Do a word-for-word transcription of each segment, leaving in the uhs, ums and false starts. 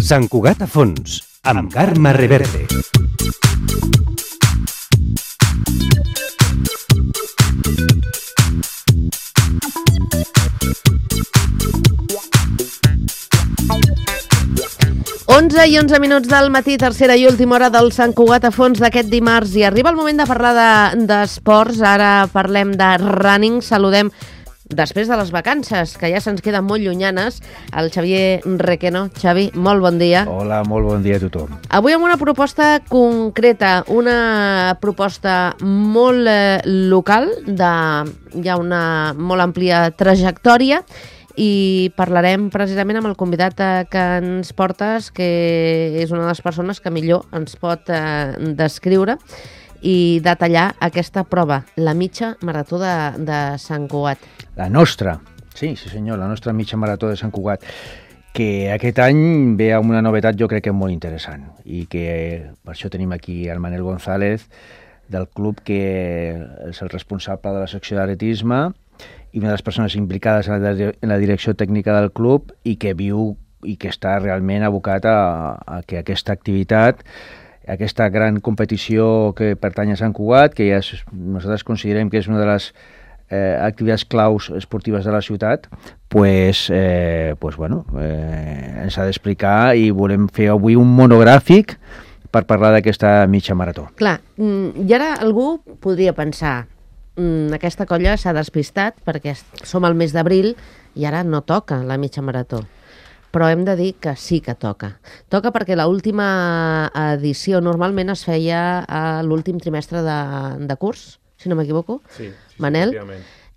Sant Cugat a fons, amb Carme Reverte. onze i onze minuts del matí, tercera i última hora del Sant Cugat a fons d'aquest dimarts. I arriba el moment de parlar d'esports. De, Ara parlem de running. Saludem, després de les vacances, que ja se'ns queden molt llunyanes, el Xavier Requeno. Xavi, molt bon dia. Hola, molt bon dia a tothom. Avui amb una proposta concreta, una proposta molt eh, local, de ja una molt àmplia trajectòria, i parlarem precisament amb el convidat que ens portes, que és una de les persones que millor ens pot eh, descriure i detallar aquesta prova, la mitja marató de, de Sant Cugat. La nostra, sí, sí senyor, la nostra mitja marató de Sant Cugat, que aquest any ve amb una novetat jo crec que molt interessant, i que per això tenim aquí el Manel González del club, que és el responsable de la secció d'atletisme i una de les persones implicades en la, en la direcció tècnica del club, i que viu i que està realment abocat a, a que aquesta activitat, aquesta gran competició que pertany a Sant Cugat, que ja és, nosaltres considerem que és una de les eh, activitats claus esportives de la ciutat, pues, eh, pues bueno, eh, ens ha d'explicar, i volem fer avui un monogràfic per parlar d'aquesta mitja marató. Clar, i ara algú podria pensar, aquesta colla s'ha despistat perquè som al mes d'abril i ara no toca la mitja marató. Però hem de dir que sí que toca. Toca perquè l'última edició normalment es feia a l'últim trimestre de, de curs, si no m'equivoco, sí, sí, Manel.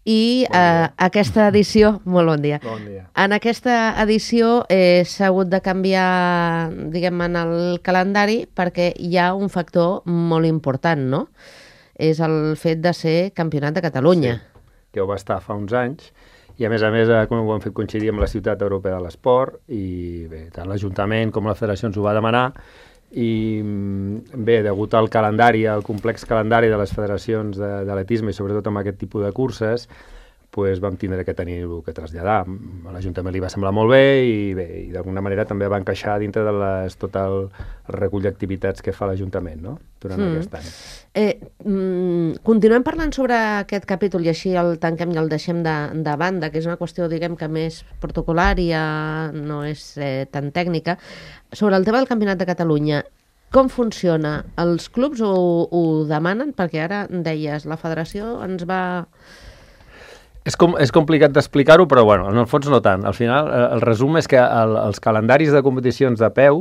I bon eh, aquesta edició... Molt bon dia. Bon dia. En aquesta edició eh, s'ha hagut de canviar, diguem, en el calendari perquè hi ha un factor molt important, no? És el fet de ser campionat de Catalunya. Sí, que ho va estar fa uns anys, i a més a més com ho hem fet coincidir amb la Ciutat Europea de l'Esport, i bé, tant l'Ajuntament com la Federació ens ho va demanar, i bé, degut al calendari, al complex calendari de les federacions d'atletisme, i sobretot amb aquest tipus de curses, pues vam tindre que tenir-ho que traslladar. A l'Ajuntament li va semblar molt bé, i bé, i d'alguna manera també va encaixar dintre de les, tot el, el recull d'activitats que fa l'Ajuntament, no?, durant mm. aquest any. Eh, mm, continuem parlant sobre aquest capítol, i així el tanquem i el deixem de, de banda, que és una qüestió, diguem, que més protocolar i ja no és eh, tan tècnica. Sobre el tema del Campionat de Catalunya, com funciona? Els clubs ho, ho demanen? Perquè ara deies, la federació ens va... És, com, és complicat d'explicar-ho, però bueno, en el fons no tant. Al final, el resum és que el, els calendaris de competicions de peu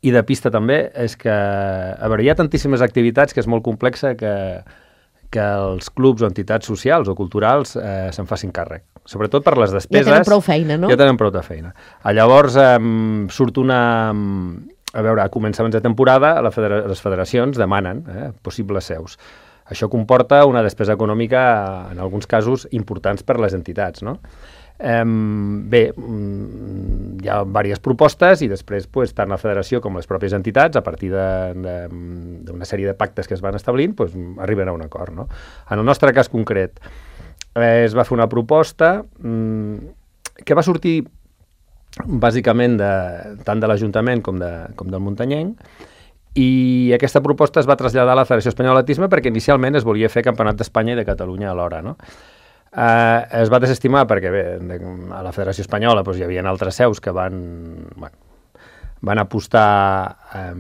i de pista també, és que a veure, hi ha tantíssimes activitats que és molt complexa que, que els clubs o entitats socials o culturals eh, se'n facin càrrec. Sobretot per les despeses... Ja tenen prou feina, no? Ja tenen prou de feina. A llavors eh, surt una... A veure, a començaments de temporada la federa les federacions demanen eh, possibles seus. Això comporta una despesa econòmica, en alguns casos, importants per a les entitats, no? Eh, bé, hi ha diverses propostes, i després pues, tant la federació com les pròpies entitats, a partir d'una sèrie de pactes que es van establint, pues, arriben a un acord, no? En el nostre cas concret, eh, es va fer una proposta mm, que va sortir bàsicament de, tant de l'Ajuntament com, de, com del Muntanyenc, i aquesta proposta es va traslladar a la Federació Espanyola d'Atletisme perquè inicialment es volia fer Campionat d'Espanya i de Catalunya alhora, no? Eh, es va desestimar perquè bé, a la Federació Espanyola doncs, hi havia altres seus que van, bueno, van apostar eh,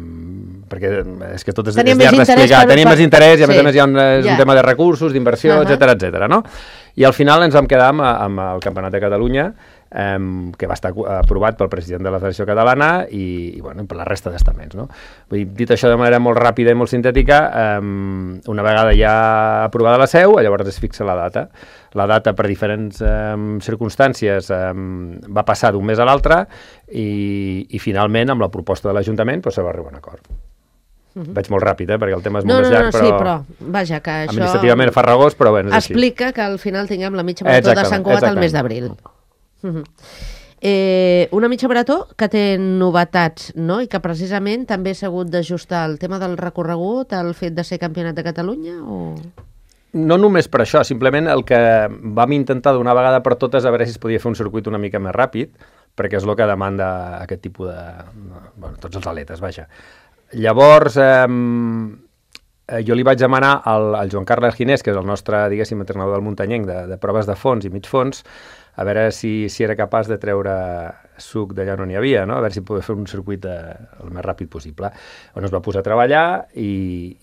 perquè és que tot és, és llarg d'explicar, tenien més interès i a més sí. a més hi ha un, és yeah. un tema de recursos, d'inversió, uh -huh. etcètera, etcètera, no? I al final ens vam quedar amb, amb el Campionat de Catalunya, Um, que va estar aprovat pel president de la Federació Catalana i, i bueno, per la resta d'estaments, no? Vull dir, dit això de manera molt ràpida i molt sintètica, um, una vegada ja aprovada la seu, llavors es fixa la data. La data, per diferents um, circumstàncies, um, va passar d'un mes a l'altre i, i finalment, amb la proposta de l'Ajuntament, doncs, se va arribar a un acord. Uh-huh. Vaig molt ràpid, eh, perquè el tema és no, molt no, més llarg, no, però... Sí, però, vaja, que això... Administrativament farragós, però bé, és explica així. Que al final tinguem la mitja marató de Sant Cugat al mes d'abril. Uh-huh. Eh, una mitja marató que té novetats, no? I que precisament també s'ha hagut d'ajustar el tema del recorregut al fet de ser campionat de Catalunya? O... No només per això, simplement el que vam intentar d'una vegada per totes a veure si es podia fer un circuit una mica més ràpid, perquè és el que demanda aquest tipus de... Bueno, tots els atletes, vaja. Llavors, eh, jo li vaig demanar al, al Joan Carles Ginés, que és el nostre, diguéssim, entrenador del muntanyenc de, de proves de fons i mig fons, a veure si, si era capaç de treure suc d'allà on n'hi havia, no? A veure si podia fer un circuit de, el més ràpid possible. On es va posar a treballar i,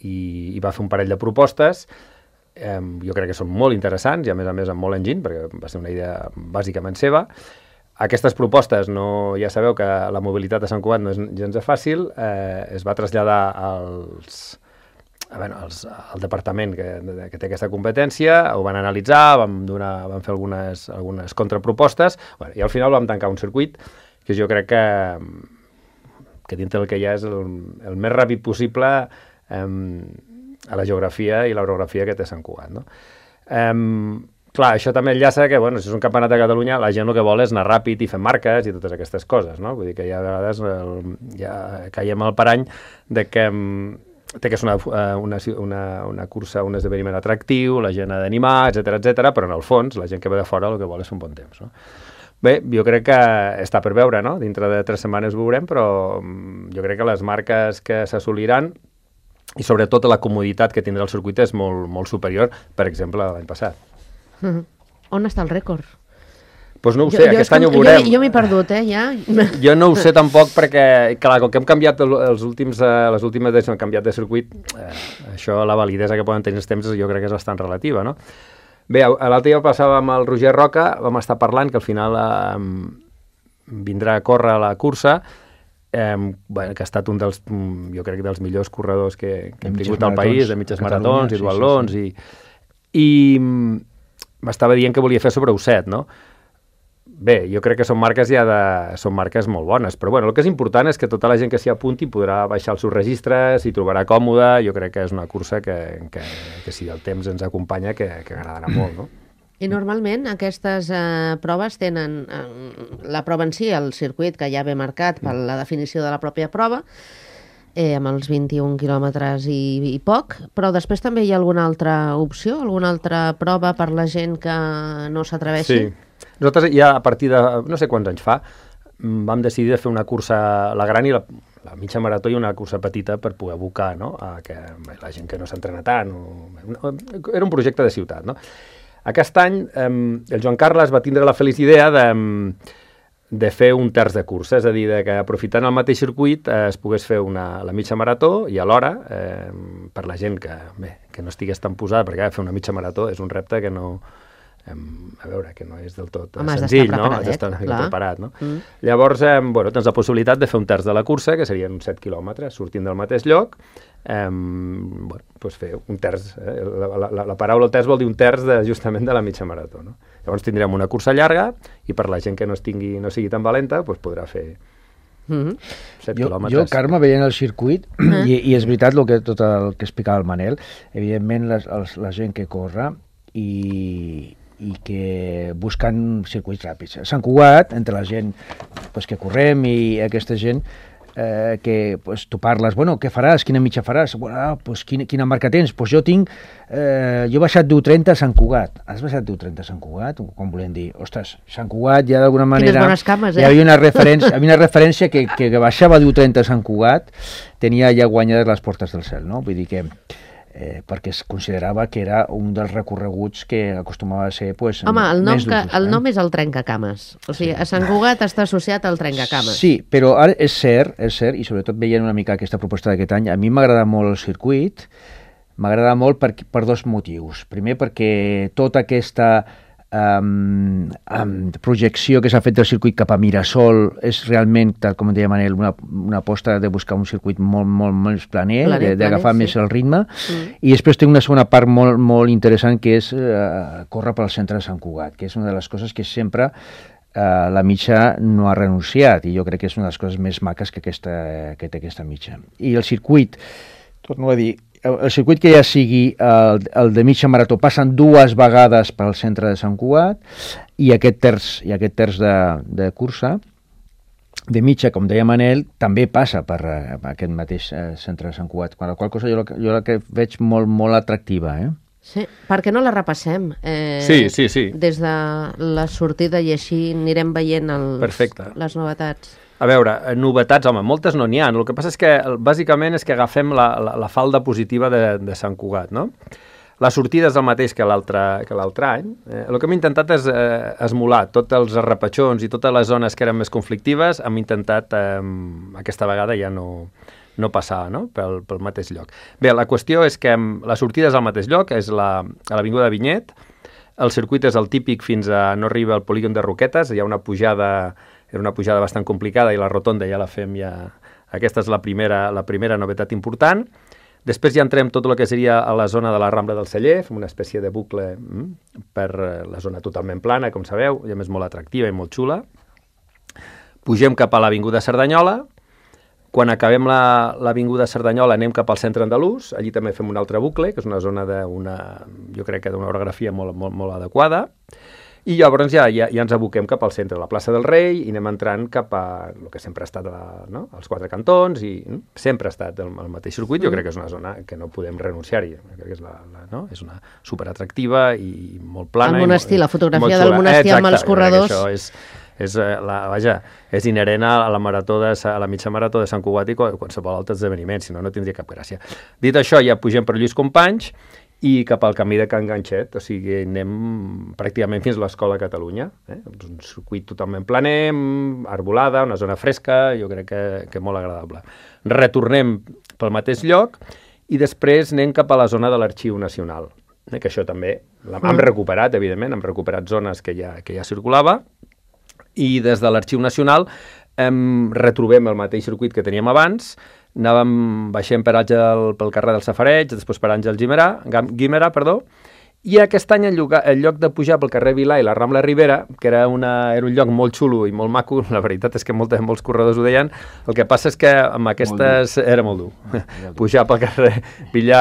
i, i va fer un parell de propostes. Eh, jo crec que són molt interessants i a més a més amb molt enginy, perquè va ser una idea bàsicament seva. Aquestes propostes, no, ja sabeu que la mobilitat a Sant Cugat no és gens fàcil, eh, es va traslladar als... A veure, els, el departament que, que té aquesta competència, ho van analitzar, vam, donar, vam fer algunes, algunes contrapropostes, bueno, i al final vam tancar un circuit que jo crec que, que dintre del que hi ha és el, el més ràpid possible eh, a la geografia i l'orografia que té Sant Cugat. No? Eh, clar, això també enllaça que, bueno, si és un campionat de Catalunya, la gent el que vol és anar ràpid i fer marques i totes aquestes coses, no? Vull dir que ja a vegades el, ja caiem al parany de que té que ser una, una, una, una cursa, un esdeveniment atractiu, la gent ha d'animar, etcètera, etcètera, però en el fons la gent que ve de fora el que vol és un bon temps. No? Bé, jo crec que està per veure, no? Dintre de tres setmanes ho veurem, però jo crec que les marques que s'assoliran i sobretot la comoditat que tindrà el circuit és molt, molt superior, per exemple, a l'any passat. Mm-hmm. On està el rècord? Doncs pues no ho jo, sé, jo aquest any ho veurem. Jo, jo m'he perdut, eh, ja. Jo no ho sé tampoc perquè, clar, com que hem canviat els últims, eh, les últimes edicions, hem canviat de circuit, eh, això, la validesa que poden tenir els temps, jo crec que és bastant relativa, no? Bé, l'altre dia passava amb el Roger Roca, vam estar parlant que al final eh, vindrà a córrer a la cursa, eh, bueno, que ha estat un dels, jo crec, dels millors corredors que, que hem tingut al país, de mitges maratons i duatlons, sí, sí, sí. i, i m'estava dient que volia fer sobre U set, no? Bé, jo crec que són marques ja de... són marques molt bones, però bueno, el que és important és que tota la gent que s'hi apunti podrà baixar els seus registres, s'hi trobarà còmode, jo crec que és una cursa que, que, que si el temps ens acompanya, que, que agradarà molt, no? I normalment aquestes eh, proves tenen eh, la prova en si, el circuit que ja ve marcat per la definició de la pròpia prova, eh, amb els vint-i-un quilòmetres i, i poc, però després també hi ha alguna altra opció, alguna altra prova per la gent que no s'atreveixi? Sí. Nosaltres ja a partir de, no sé quants anys fa, vam decidir de fer una cursa, la gran i la, la mitja marató i una cursa petita per poder abocar, no?, a que la gent que no s'entrena tant. O, era un projecte de ciutat, no? Aquest any eh, el Joan Carles va tindre la feliç idea de, de fer un terç de cursa, és a dir, de que aprofitant el mateix circuit eh, es pogués fer una, la mitja marató i alhora, eh, per la gent que, bé, que no estigués tan posada, perquè fer una mitja marató és un repte que no... a veure, que no és del tot Home, senzill, no? Has d'estar una mica preparat, no? Mm. Llavors, eh, bueno, tens la possibilitat de fer un terç de la cursa, que serien uns set quilòmetres, sortint del mateix lloc, eh, bueno, doncs fer un terç, eh? la, la, la paraula terç vol dir un terç de, justament de la mitja marató, no? Llavors tindrem una cursa llarga i per la gent que no, estigui, no sigui tan valenta, doncs podrà fer Mm-hmm. set jo, quilòmetres. jo, Carme, veient el circuit, i, i és veritat el que, tot el que explicava el Manel, evidentment les, els, la gent que corre i, i que busquen circuits ràpids. A Sant Cugat, entre la gent pues, que correm i aquesta gent, eh, que pues, tu parles, bueno, què faràs, quina mitja faràs? Bueno, pues, quina, quina marca tens? Pues jo tinc, eh, jo he baixat deu trenta a Sant Cugat. Has baixat deu trenta a Sant Cugat? Com volem dir? Ostres, Sant Cugat ja d'alguna manera... Quines bones cames, eh? Hi havia una referència, havia una referència que, que, que baixava deu trenta a Sant Cugat, tenia ja guanyades les portes del cel, no? Vull dir que... Eh, perquè es considerava que era un dels recorreguts que acostumava a ser pues, Home, el nom, més que, d'usos. el Eh? nom és el trencacames. O sigui, a Sant Cugat està associat al trencacames. Sí, però ara és cert, és cert, i sobretot veient una mica aquesta proposta d'aquest any, a mi m'agrada molt el circuit, m'agrada molt per, per dos motius. Primer, perquè tota aquesta um, um, projecció que s'ha fet del circuit cap a Mirasol és realment, tal com deia Manel, una, una aposta de buscar un circuit molt, molt, molt planer, Planer, d'agafar planer, més sí. el ritme, Mm. i després té una segona part molt, molt interessant que és uh, córrer pel centre de Sant Cugat, que és una de les coses que sempre uh, la mitja no ha renunciat, i jo crec que és una de les coses més maques que, aquesta, que té aquesta mitja. I el circuit, torno a dir, el circuit que ja sigui el, el de mitja marató passen dues vegades pel centre de Sant Cugat i aquest terç, i aquest terç de, de cursa de mitja, com deia Manel, també passa per uh, aquest mateix uh, centre de Sant Cugat, per la qual cosa jo la, jo la que veig molt, molt atractiva, eh? Sí, per què no la repassem? Eh, sí, sí, sí. Des de la sortida i així anirem veient els, Perfecte. les novetats. A veure, novetats, home, moltes no n'hi ha. El que passa és que, bàsicament, és que agafem la, la, la falda positiva de, de Sant Cugat, no? La sortida és el mateix que l'altre que l'altre any. Eh, el que hem intentat és eh, esmolar tots els arrepatxons i totes les zones que eren més conflictives, hem intentat, eh, aquesta vegada ja no, no passar, no? Pel, pel mateix lloc. Bé, la qüestió és que la sortida és al mateix lloc, és la, a l'Avinguda Vinyet, el circuit és el típic fins a no arriba al polígon de Roquetes, hi ha una pujada, era una pujada bastant complicada i la rotonda ja la fem ja... Aquesta és la primera, la primera novetat important. Després ja entrem tot el que seria a la zona de la Rambla del Celler, fem una espècie de bucle mm, per la zona totalment plana, com sabeu, i a més molt atractiva i molt xula. Pugem cap a l'Avinguda Cerdanyola. Quan acabem l'Avinguda Cerdanyola anem cap al centre andalús, allí també fem un altre bucle, que és una zona d'una, jo crec que d'una orografia molt, molt, molt adequada. I llavors ja, ja, ja ens aboquem cap al centre, a la plaça del Rei, i anem entrant cap a el que sempre ha estat la, no? els quatre cantons, i no? sempre ha estat el, el mateix circuit. Jo crec que és una zona que no podem renunciar-hi. Crec que és, la, la, no? és una superatractiva i molt plana. El monestir, la fotografia del monestir amb els corredors. Això és, és, la, vaja, és inherent a la, marató de, a la mitja marató de Sant Cugat i qualsevol altre esdeveniment, si no, no tindria cap gràcia. Dit això, ja pugem per Lluís Companys, i cap al camí de Can Ganxet, o sigui, anem pràcticament fins a l'Escola Catalunya, eh? un circuit totalment planer, arbolada, una zona fresca, jo crec que, que molt agradable. Retornem pel mateix lloc i després anem cap a la zona de l'Arxiu Nacional, eh? que això també hem recuperat, evidentment, hem recuperat zones que ja, que ja circulava, i des de l'Arxiu Nacional em retrobem el mateix circuit que teníem abans. Anàvem, baixem per Àngel, pel carrer del Safareig, després per Àngel Guimerà, Guimerà, perdó, i aquest any en lloc, en lloc de pujar pel carrer Vilà i la Rambla Ribera, que era, una, era un lloc molt xulo i molt maco, la veritat és que molts, molts corredors ho deien, el que passa és que amb aquestes... Molt era molt dur. Molt pujar pel carrer Vilà...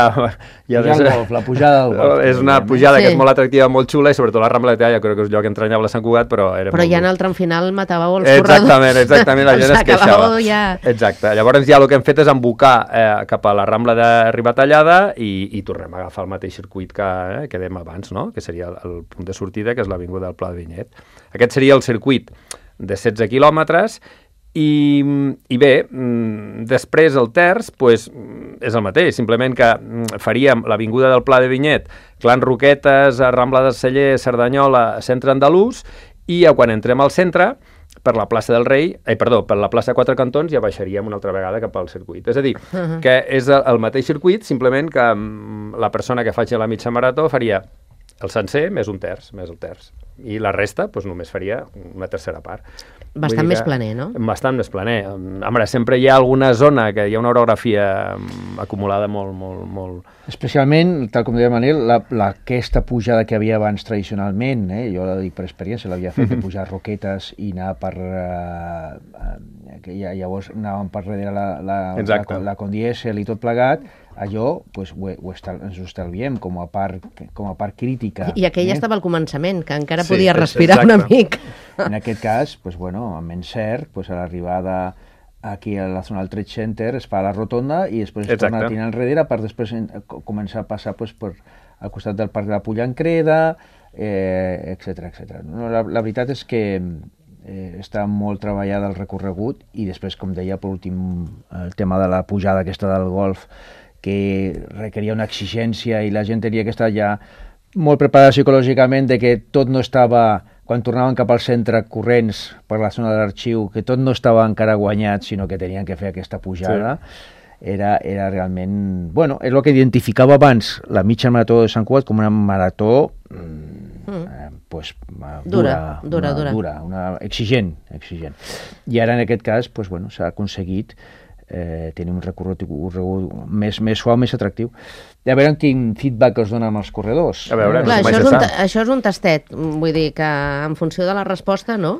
Ja pujar al golf, la pujada del golf. És una pujada sí. que és molt atractiva, molt xula, i sobretot la Rambla de Talla, crec que és un lloc entranyable a Sant Cugat, però era però molt ja dur. en el tram final matàveu els corredors. Exactament, exactament, la gent es queixava. Ja... Exacte. Llavors ja el que hem fet és embocar eh, cap a la Rambla de Ribatallada i, i tornem a agafar el mateix circuit que, eh, que dèiem abans, no? Que seria el, el punt de sortida, que és l'Avinguda del Pla de Vinyet. Aquest seria el circuit de setze quilòmetres i, i bé, després el terç pues, és el mateix, simplement que faríem l'Avinguda del Pla de Vinyet, Clan Roquetes, Rambla del Celler, Cerdanyola, Centre Andalús, i quan entrem al centre, per la plaça del Rei, eh, perdó, per la plaça Quatre Cantons ja baixaríem una altra vegada cap al circuit. És a dir, uh-huh. que és el, el mateix circuit, simplement que la persona que faci la mitja marató faria el sencer més un terç, més el terç. I la resta doncs, només faria una tercera part. Bastant més planer, no? Bastant més planer. Home, sempre hi ha alguna zona que hi ha una orografia acumulada molt, molt, molt... Especialment, tal com deia Manel, la, la, aquesta pujada que havia abans tradicionalment, eh, jo la dic per experiència, l'havia fet de pujar Roquetes i anar per... Eh, que ja, llavors anàvem per darrere la, la, la, la, la Condiesel i tot plegat, allò pues, ho, ho estal, ens ho estalviem com a part, com a part crítica. I aquell eh? estava al començament, que encara sí, podia respirar exacte. una mica. En aquest cas, pues, bueno, amb encert, pues, a l'arribada aquí a la zona del Trade Center es fa la rotonda i després es torna a tirar enrere per després en, començar a passar pues, per, al costat del Parc de la Pollancreda, eh, etcètera, etcètera. No, la, la veritat és que eh, està molt treballada el recorregut i després, com deia, per últim, el tema de la pujada aquesta del golf, que requeria una exigència i la gent tenia que estar ja molt preparada psicològicament de que tot no estava, quan tornaven cap al centre corrents per la zona de l'arxiu, que tot no estava encara guanyat, sinó que tenien que fer aquesta pujada. Sí. Era, era realment... Bueno, és el que identificava abans la mitja marató de Sant Cugat com una marató mm, eh, pues, dura, dura, dura, una, dura. dura una, exigent, exigent. I ara en aquest cas pues, bueno, s'ha aconseguit Eh, tenir un recorregut, un recorregut més, més suau, més atractiu. I a veure quin feedback us donen els corredors. A veure, Clar, això, és un, això és un tastet, vull dir que en funció de la resposta, no?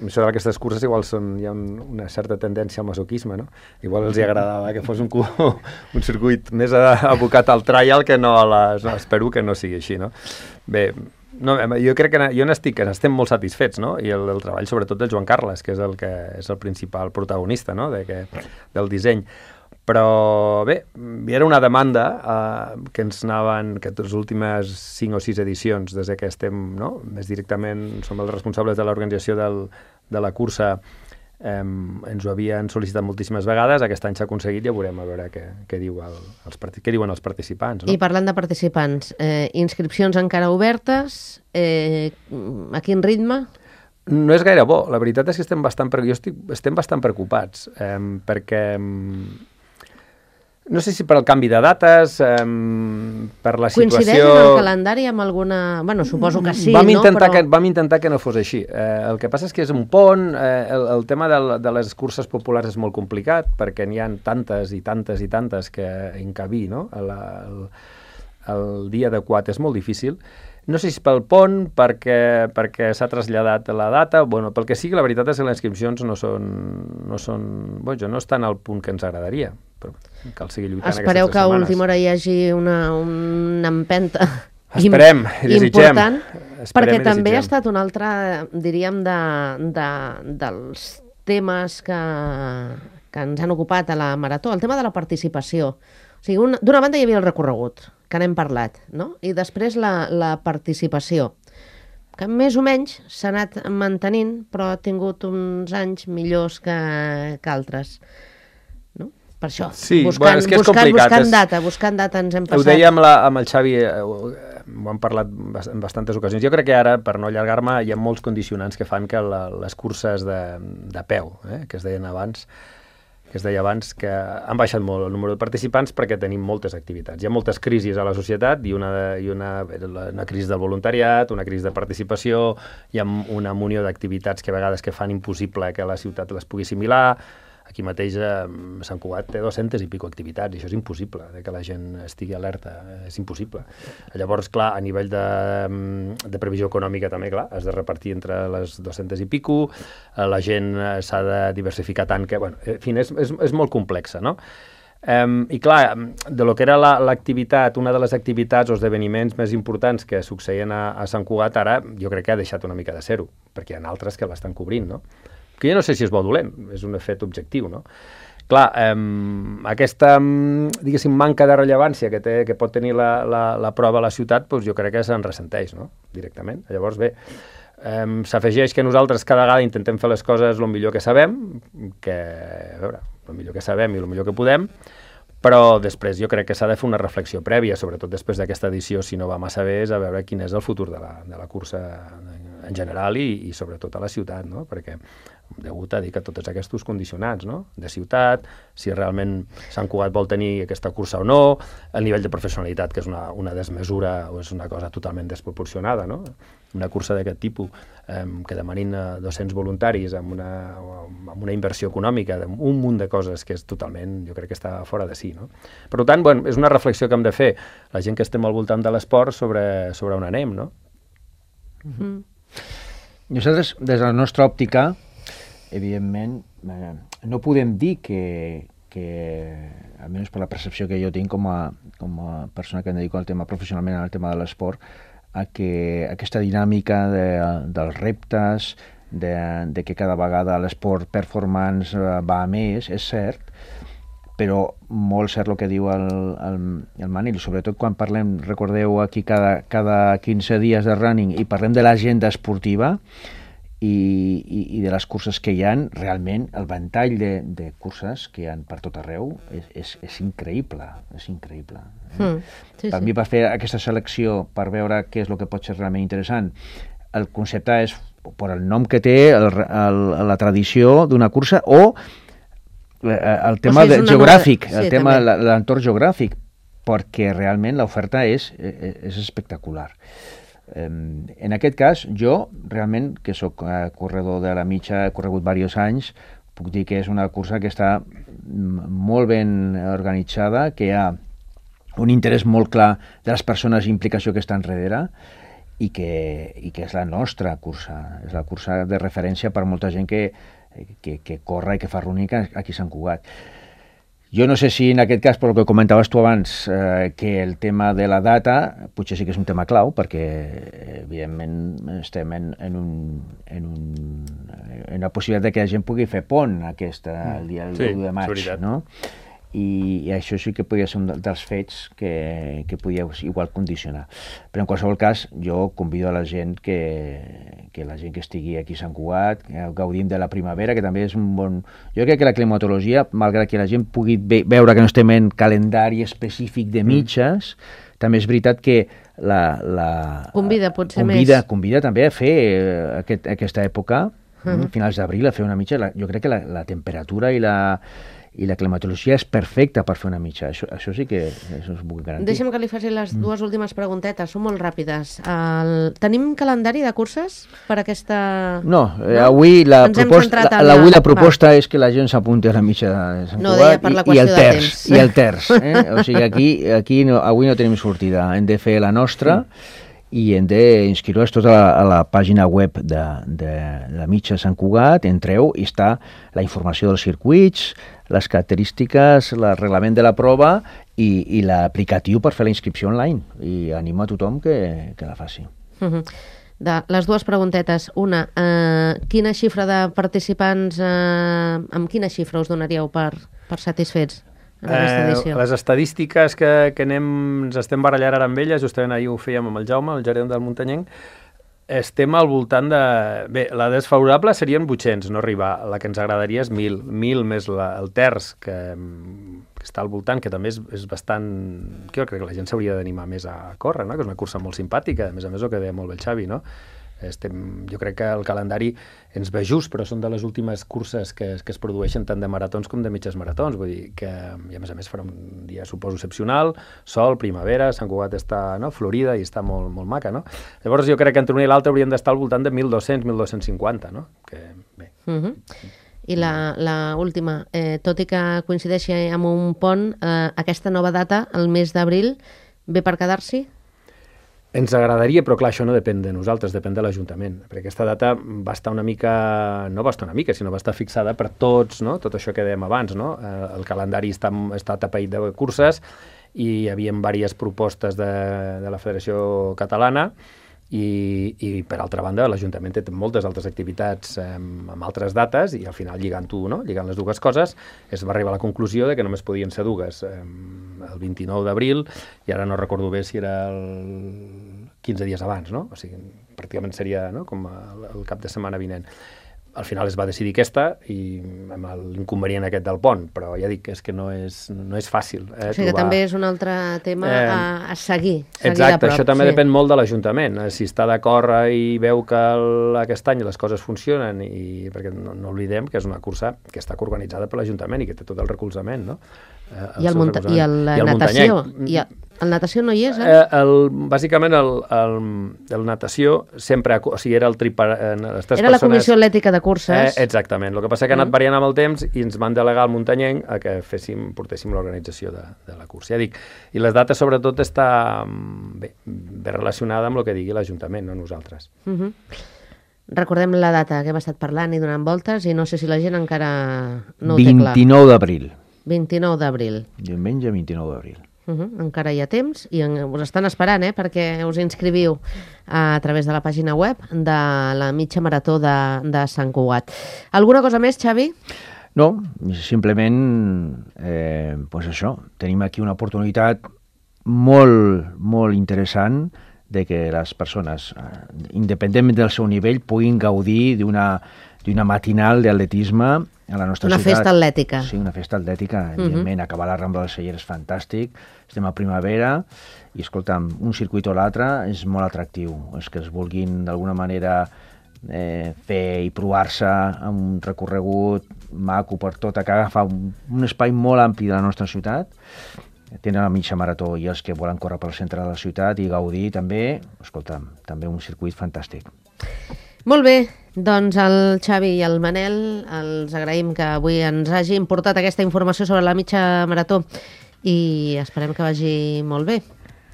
això d'aquestes curses igual són, hi ha un, una certa tendència al masoquisme, no? Igual els hi agradava que fos un, un circuit més abocat al trial que no a les... No, espero que no sigui així, no? Bé, no, jo crec que jo n'estic, estem molt satisfets, no? I el, el treball sobretot del Joan Carles, que és el, que és el principal protagonista, no? De que, del disseny. Però bé, hi era una demanda eh, que ens anaven, que les últimes cinc o sis edicions, des que estem, no? Més directament, som els responsables de l'organització del, de la cursa, eh, ens ho havien sol·licitat moltíssimes vegades, aquest any s'ha aconseguit, ja veurem a veure què, què, diu el, els, què diuen els participants. No? I parlant de participants, eh, inscripcions encara obertes, eh, a quin ritme? No és gaire bo, la veritat és que estem bastant, jo estic, estem bastant preocupats, eh, perquè... No sé si per al canvi de dates, eh, per la situació... Coincideix en el calendari amb alguna... Bueno, suposo que sí, vam no? Intentar Però... que, vam intentar que no fos així. Eh, el que passa és que és un pont, eh, el, el tema de, de les curses populars és molt complicat, perquè n'hi ha tantes i tantes i tantes que encabir, no? El, el, el dia adequat és molt difícil. No sé si pel pont, perquè, perquè s'ha traslladat la data, bueno, pel que sigui, la veritat és que les inscripcions no són, no són, bueno, no estan al punt que ens agradaria, però cal seguir lluitant. Espereu aquestes que a setmanes. última hora hi hagi una, una empenta Esperem, i desitgem. important, Esperem perquè i també desitgem. ha estat un altre, diríem, de, de, dels temes que, que ens han ocupat a la Marató, el tema de la participació. O sigui, d'una banda hi havia el recorregut, que n'hem parlat, no? I després la, la participació, que més o menys s'ha anat mantenint, però ha tingut uns anys millors que, que altres. No? Per això, sí, buscant, bueno, és que és buscant, complicat, buscant és... data, buscant data ens hem passat. Ho deia amb, la, amb el Xavi, eh, ho hem parlat en bastantes ocasions. Jo crec que ara, per no allargar-me, hi ha molts condicionants que fan que la, les curses de, de peu, eh, que es deien abans, que es deia abans, que han baixat molt el número de participants perquè tenim moltes activitats. Hi ha moltes crisis a la societat i una, i una, una crisi del voluntariat, una crisi de participació, hi ha una munió d'activitats que a vegades que fan impossible que la ciutat les pugui assimilar. Aquí mateix eh, Sant Cugat té dues-centes i pico activitats i això és impossible, de que la gent estigui alerta, és impossible. Llavors, clar, a nivell de, de previsió econòmica també, clar, has de repartir entre les dues-centes i pico, la gent s'ha de diversificar tant que, bueno, en fi, és, és, és molt complexa, no? Um, I clar, de lo que era l'activitat, una de les activitats o esdeveniments més importants que succeïen a, a Sant Cugat, ara jo crec que ha deixat una mica de ser-ho, perquè hi ha altres que l'estan cobrint, no? Que jo no sé si és bo o dolent, és un fet objectiu, no? Clar, eh, aquesta, diguéssim, manca de rellevància que, té, que pot tenir la, la, la prova a la ciutat, doncs jo crec que se'n ressenteix, no?, directament. Llavors, bé, eh, s'afegeix que nosaltres cada vegada intentem fer les coses el millor que sabem, que, a veure, el millor que sabem i el millor que podem, però després jo crec que s'ha de fer una reflexió prèvia, sobretot després d'aquesta edició, si no va massa bé, és a veure quin és el futur de la, de la cursa en general i, i sobretot a la ciutat, no?, perquè degut a dir que tots aquests condicionants, no?, de ciutat, si realment Sant Cugat vol tenir aquesta cursa o no, el nivell de professionalitat, que és una, una desmesura o és una cosa totalment desproporcionada, no?, una cursa d'aquest tipus, eh, que demanin eh, dos-cents voluntaris amb una, amb una inversió econòmica, un munt de coses que és totalment, jo crec que està fora de si, no? Per tant, bueno, és una reflexió que hem de fer, la gent que estem al voltant de l'esport, sobre, sobre on anem, no? Mm-hmm. Nosaltres, des de la nostra òptica, evidentment, eh, no podem dir que, que, almenys per la percepció que jo tinc com a, com a persona que em dedico al tema professionalment, al tema de l'esport, a que aquesta dinàmica de, dels reptes, de, de que cada vegada l'esport performance va a més, és cert, però molt cert el que diu el, el, el Manil, sobretot quan parlem, recordeu aquí cada, cada quinze dies de running i parlem de l'agenda esportiva, I, i, i de les curses que hi ha, realment el ventall de, de curses que hi ha per tot arreu és, és, és increïble, és increïble. Eh? Mm, sí, per sí. mi, per fer aquesta selecció, per veure què és el que pot ser realment interessant, el concepte és per el nom que té, el, el, la tradició d'una cursa o el tema o sigui, de, geogràfic, nova... sí, el tema de l'entorn geogràfic, perquè realment l'oferta és, és espectacular. En aquest cas, jo, realment, que sóc corredor de la mitja, he corregut diversos anys, puc dir que és una cursa que està molt ben organitzada, que hi ha un interès molt clar de les persones i implicació que estan darrere, i que, i que és la nostra cursa, és la cursa de referència per molta gent que, que, que corre i que fa running aquí a Sant Cugat. Jo no sé si en aquest cas, per el que comentaves tu abans, eh, que el tema de la data potser sí que és un tema clau, perquè evidentment estem en, en, un, en, un, en una possibilitat de que la gent pugui fer pont aquesta, el dia sí, de maig, no? I, i això sí que podria ser un dels fets que, que podia igual condicionar. Però en qualsevol cas, jo convido a la gent que, que la gent que estigui aquí a Sant Cugat, que gaudim de la primavera, que també és un bon... Jo crec que la climatologia, malgrat que la gent pugui ve veure que no estem en calendari específic de mitges, mm. també és veritat que la... la convida potser convida, més. Convida també a fer aquest, aquesta època, uh-huh. finals d'abril, a fer una mitja. Jo crec que la, la temperatura i la... i la climatologia és perfecta per fer una mitja. Això, això sí que això us puc garantir. Deixa'm que li faci les dues últimes preguntetes, són molt ràpides. El... Tenim calendari de curses per aquesta... No, eh, no? avui la Ens proposta, la, la, avui la proposta és que la gent s'apunti a la mitja de Sant no, Cugat per la i, i el terç. temps. I el terç. Eh? O sigui, aquí, aquí no, avui no tenim sortida. Hem de fer la nostra i hem d'inscriure's tot a la, a la pàgina web de, de la mitja Sant Cugat. Entreu i està la informació dels circuits, les característiques, el reglament de la prova i, i l'aplicatiu per fer la inscripció online. I animo a tothom que, que la faci. Uh-huh. De les dues preguntetes. Una, eh, quina xifra de participants, eh, amb quina xifra us donaríeu per, per satisfets en aquesta edició? Eh, les estadístiques que, que anem, ens estem barallant ara amb elles, justament ahir ho fèiem amb el Jaume, el gerent del Muntanyenc, estem al voltant de... Bé, la desfavorable serien vuit-cents, no arribar. La que ens agradaria és mil. mil més la, el terç, que, que està al voltant, que també és, és bastant... Jo crec que la gent s'hauria d'animar més a córrer, no? Que és una cursa molt simpàtica, a més a més el que deia molt bé el Xavi, no? Estem, jo crec que el calendari ens ve just, però són de les últimes curses que, que es produeixen tant de maratons com de mitges maratons, vull dir que, i a més a més farà un dia, suposo, excepcional, sol, primavera, Sant Cugat està, no?, florida i està molt, molt maca, no? Llavors jo crec que entre una i l'altra hauríem d'estar al voltant de mil dos-cents, mil dos-cents cinquanta, no? Que, bé. Uh-huh. I la, la última, eh, tot i que coincideixi amb un pont, eh, aquesta nova data, el mes d'abril, ve per quedar-s'hi? Ens agradaria, però clar, això no depèn de nosaltres, depèn de l'Ajuntament, perquè aquesta data va estar una mica, no va estar una mica, sinó va estar fixada per tots, no?, tot això que dèiem abans, no? El calendari està, està tapeït de curses i hi havia diverses propostes de, de la Federació Catalana i, i per altra banda l'Ajuntament té moltes altres activitats eh, amb altres dates i al final lligant-ho, no?, lligant les dues coses, es va arribar a la conclusió de que només podien ser dues, eh, el vint-i-nou d'abril i ara no recordo bé si era el quinze dies abans, no? O sigui, pràcticament seria, no?, com el, el cap de setmana vinent. Al final es va decidir aquesta i amb l'inconvenient aquest del pont, però ja dic, és que no és, no és fàcil. Eh, o sigui trobar... que també és un altre tema eh, a, a seguir, seguir exacte, de prop. Això també sí. depèn molt de l'Ajuntament. Si està d'acord i veu que el, aquest any les coses funcionen, i perquè no, no oblidem que és una cursa que està organitzada per l'Ajuntament i que té tot el recolzament, no? Eh, I el, munta i el, I el natació. I el, el natació no hi és, eh? eh el, bàsicament el, el, el natació sempre, o sigui, era el tripar... Eh, les tres era persones, la comissió atlètica de curses. Eh, exactament. El que passa que ha anat variant amb el temps i ens van delegar al Muntanyenc a que féssim, portéssim l'organització de, de la cursa. Ja dic, i les dates sobretot està bé, bé relacionada amb el que digui l'Ajuntament, no nosaltres. Uh -huh. Recordem la data que hem estat parlant i donant voltes i no sé si la gent encara no ho té clar. vint-i-nou d'abril. vint-i-nou d'abril. Diumenge vint-i-nou d'abril. Uh -huh. Encara hi ha temps i en, us estan esperant, eh, perquè us inscriviu a, a través de la pàgina web de la mitja marató de, de Sant Cugat. Alguna cosa més, Xavi? No, simplement, eh, pues això, tenim aquí una oportunitat molt, molt interessant de que les persones, independentment del seu nivell, puguin gaudir d'una d'una matinal d'atletisme a la nostra una ciutat. Una festa atlètica. Sí, una festa atlètica, evidentment. Uh-huh. Acabar la Rambla del Celler és fantàstic, estem a primavera i, escolta'm, un circuit o l'altre és molt atractiu. És que es vulguin, d'alguna manera, eh, fer i provar-se amb un recorregut maco per tot, que agafa un, un espai molt ampli de la nostra ciutat. Tenen la mitja marató i els que volen córrer pel centre de la ciutat i gaudir també, escolta'm, també un circuit fantàstic. Molt bé, doncs el Xavi i el Manel els agraïm que avui ens hagin portat aquesta informació sobre la mitja marató i esperem que vagi molt bé.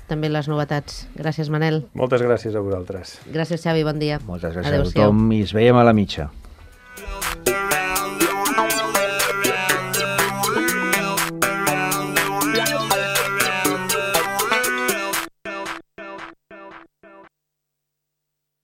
també les novetats. Gràcies, Manel. Moltes gràcies a vosaltres. Gràcies, Xavi, bon dia. Moltes gràcies Adéu-siau. a tothom i ens veiem a la mitja.